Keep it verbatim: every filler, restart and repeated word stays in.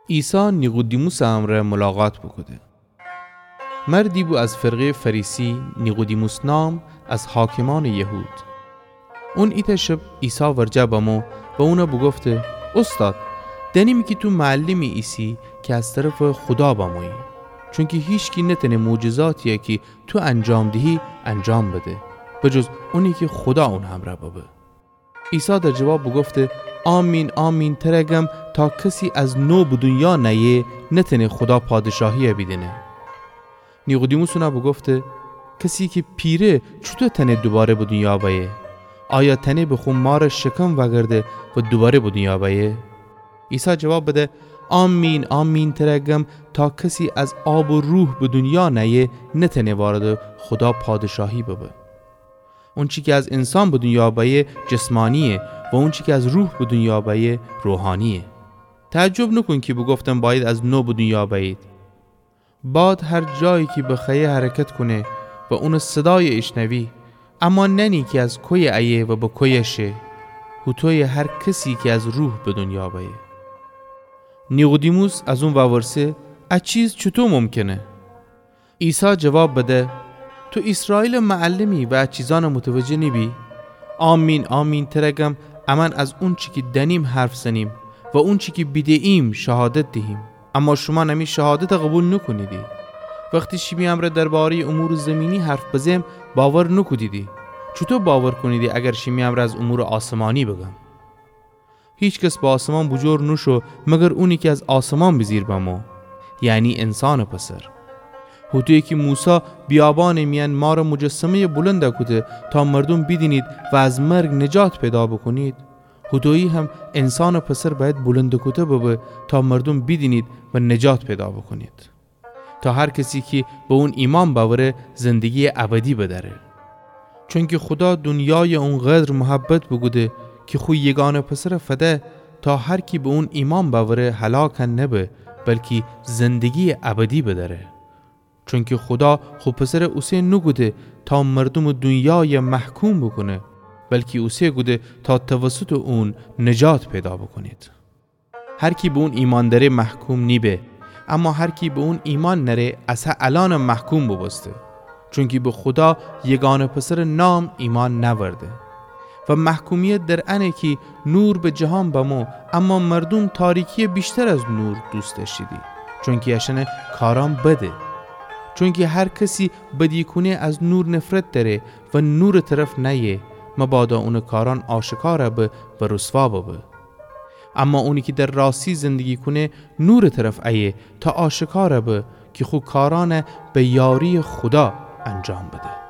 عیسی نیقودیموسٚ امرأ ملاقات بوکوده. مردی بو از فرقه‌یٚ فریسی، نیقودیموس نام، از حاکمأنٚ یهود. اون ایتأ شب عیسی ورجه بمو و اون بوگفته: اوستاد، دأنیمی کی تو معلمی ایسی کی از طرفٚ خودا بمویی، چونکی هیچکی نتأنه معجزاتیی کی تو انجام دیهی انجام بده، به جز اونی کی خودا اون همرأ ببه. عیسی در جواب بوگفته: آمین، آمین، تر گم، تا کسی از نو به دونیا نأیه، نتأنه خودا پادشاهیی بیدینه. نیقودیموس اون بوگفته: کسی کی پیره، چوطو تأنه دوواره به دونیا بأیه؟ آیا تأنه به خو مارٚ شکم وأگرده و دوواره به دونیا بأیه؟ عیسی جواب بده: آمین، آمین، تر گم، تا کسی از آب و روح به دونیا نأیه، نتأنه واردٚ خودا پادشاهی ببه. اونچی کی از انسان به دونیا بأیه، جسمانییه و اونچی کی از روح به دونیا بأیه، روحانییه. تعجب نوکون کی بوگفتم باید از نو به دونیا بأیید. باد هر جایی کی بخوأیه حرکت کونه و اونٚ صدای ایشنوی، اما نأنی کی از کویه ایه و به کویه شه. هوطویه هر کسی کی از روح به دونیا بأیه. نیقودیموس از اون وورسه: ا چیز چوطو ممکنه؟ عیسی جواب بده: تو ایسرائیلٚ معلمی و ا چیزأن متوجه نیبی؟ آمین، آمین، تر گم، امأن از اونچی کی دأنیم حرف زنیم و اونچی کی بیده‌ییم شهادت دیهیم، اما شومأن امی شهادت قوبیل نوکونیدی. وختی شیمی امرأ درباره‌یٚ امورٚ زیمینی حرف بزم، باور نوکودیدی. چوطو باور کونیدی اگر شیمی امرأ از امورٚ آسمانی بگم؟ هیکس به آسمان بوجور نوشو مگر اونی کی از آسمان بیجیر بمو، یعنی انسانٚ پسر. هوطویی کی موسی بیابانٚ میأن مارٚ مجسمه‌یٚ بلند کوده تا مردوم بیدینید و از مرگ نجات پیدا بوکونید، هوطویی هم انسانٚ پسر بأید بلند کوده ببه تا مردوم بیدینید و نجات پیدا بوکونید. تا هر کسی کی به اون ایمأن بأوره، زندگییٚ ابدی بدأره. چونکی خودا دونیای اونقدر محبت بوکوده کی خو یگانه پسر فده، تا هر کی به اون ایمأن بأوره هلاک نبه، بلکی زندگییٚ ابدی بدأره. چونکی خودا خو پسر اوسه نوکوده تا مردومٚ دونیای محکوم بوکونه، بلکی اوسه کوده تا توسطٚ اون نجات پیدا بوکونید. هر کی به اون ایمأن دأره محکوم نیبه، اما هر کی به اون ایمأن نأره، از هه الأن محکوم بوبوسته. چونکی به خودا یگانه پسرٚ نام ایمأن نأورده. و محکومیت در انه کی نور به جهان بمو، اما مردوم تاریکیی ویشتر از نور دوست دأشتیدی، چونکی اشأنٚ کارأن بده. چونکی هر کسی بدی کونه از نور نفرت دأره و نورٚ طرف نأیه، مبادا اونٚ کارأن آشکار به و رسوا ببه. اما اونی کی در راستی زندگی کونه، نورٚ طرف ایه تا آشکار به کی خو کارأن به یارییٚ خودا انجام بده.